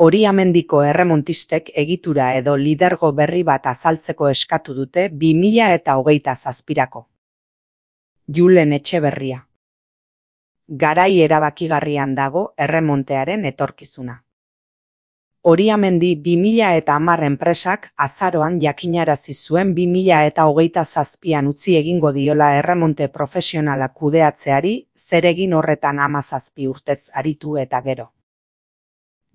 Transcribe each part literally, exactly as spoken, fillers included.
Oriamendiko erremontistek egitura edo lidergo berri bat azaltzeko eskatu dute bi mila eta hogeita zazpirako. Julen Etxeberria. Garai erabakigarrian dago erremontearen etorkizuna. Oriamendi bi mila eta hamar enpresak azaroan jakinarazi zuen bi mila eta hogeita zazpian utzi egingo diola erremonte profesionala kudeatzeari, zer egin horretan hamazazpi urtez aritu eta gero.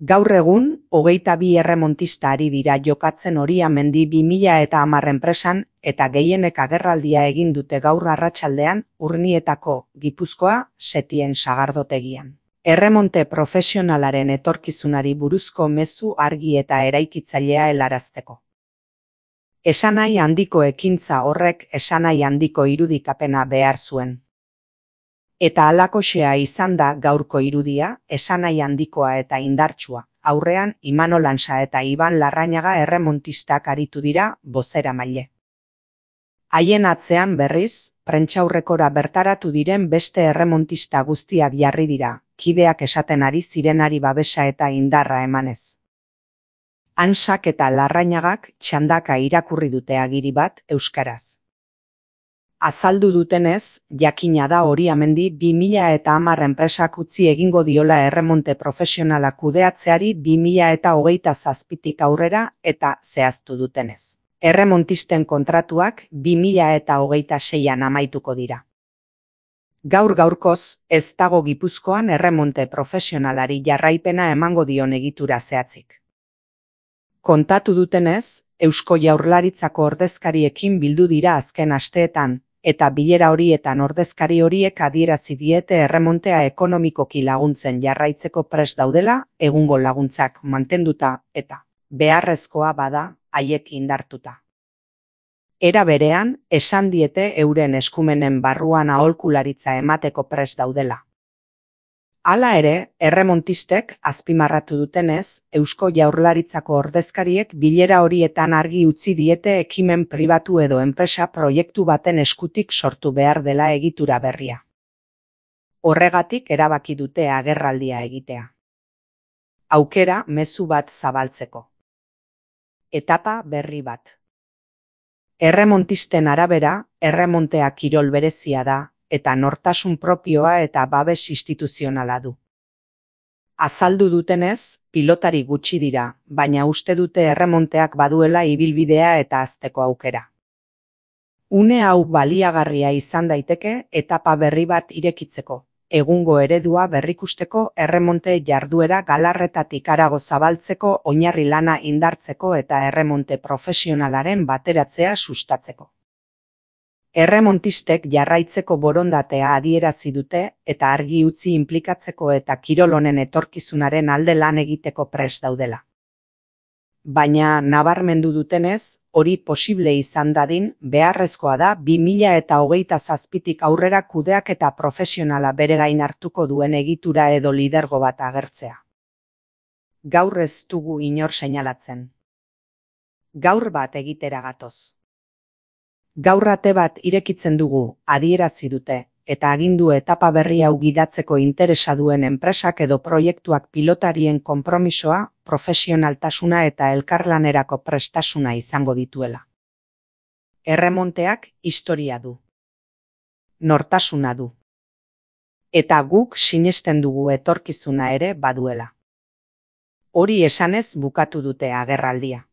Gaur egun, hogeita bi erremontista ari dira jokatzen Oriamendi bi mila eta hamar enpresan eta gehienek agerraldia egin dute gaur arratsaldean Urnietako, Gipuzkoa, Setien sagardotegian. Erremonte profesionalaren etorkizunari buruzko mezu argi eta eraikitzailea helarazteko. Esanahi handiko ekintza horrek esanahi handiko irudikapena behar zuen. Eta halakoxea izan da gaurko irudia, esanahi handikoa eta indartsua. Aurrean, Imanol Ansa eta Iban Larrañaga erremontistak aritu dira bozeramaile. Haien atzean berriz, prentsaurrekora bertaratu diren beste erremontista guztiak jarri dira, kideak esaten ari zirenari babesa eta indarra emanez. Ansak eta Larrañagak txandaka irakurri dute agiri bat euskaraz. Azaldu dutenez, jakina da Oriamendi bi mila eta hamar enpresak utzi egingo diola erremonte profesionala kudeatzeari bi mila eta hogeita zazpitik aurrera eta zehaztu dutenez. Erremontisten kontratuak bi mila eta hogeita seian amaituko dira. Gaur gaurkoz, ez dago Gipuzkoan erremonte profesionalari jarraipena emango dion egitura zehatzik. Kontatu dutenez, Eusko Jaurlaritzako ordezkariekin bildu dira azken asteetan, eta bilera horietan ordezkari horiek adierazi diete erremontea ekonomikoki laguntzen jarraitzeko prest daudela, egungo laguntzak mantenduta eta beharrezkoa bada haiek indartuta. Era berean, esan diete euren eskumenen barruan aholkularitza emateko prest daudela. Hala ere, erremontistek azpimarratu dutenez, Eusko Jaurlaritzako ordezkariek bilera horietan argi utzi diete ekimen pribatu edo enpresa proiektu baten eskutik sortu behar dela egitura berria. Horregatik erabaki dute agerraldia egitea. Aukera mezu bat zabaltzeko. Etapa berri bat. Erremontisten arabera, erremontea kirol berezia da, eta nortasun propioa eta babes instituzionala du. Azaldu dutenez, pilotari gutxi dira, baina uste dute erremonteak baduela ibilbidea eta hazteko aukera. Une hau baliagarria izan daiteke etapa berri bat irekitzeko, egungo eredua berrikusteko erremonte jarduera galarretatik harago zabaltzeko oinarri lana indartzeko eta erremonte profesionalaren bateratzea sustatzeko. Erremontistek jarraitzeko borondatea adierazi dute eta argi utzi inplikatzeko eta kirol honen etorkizunaren alde lan egiteko prest daudela. Baina nabarmendu dutenez, hori posible izan dadin, beharrezkoa da bi mila eta hogeita zazpitik aurrera kudeak eta profesionala bere gain hartuko duen egitura edo lidergo bat agertzea. Gaur ez dugu inor seinalatzen. Gaur bat egitera gatoz. Gaur ate bat irekitzen dugu, adierazi dute, eta agindu etapa berri hau gidatzeko interesa duen enpresak edo proiektuak pilotarien konpromisoa, profesionaltasuna eta elkarlanerako prestasuna izango dituela. Erremonteak historia du. Nortasuna du. Eta guk sinesten dugu etorkizuna ere baduela. Hori esanez bukatu dute agerraldia.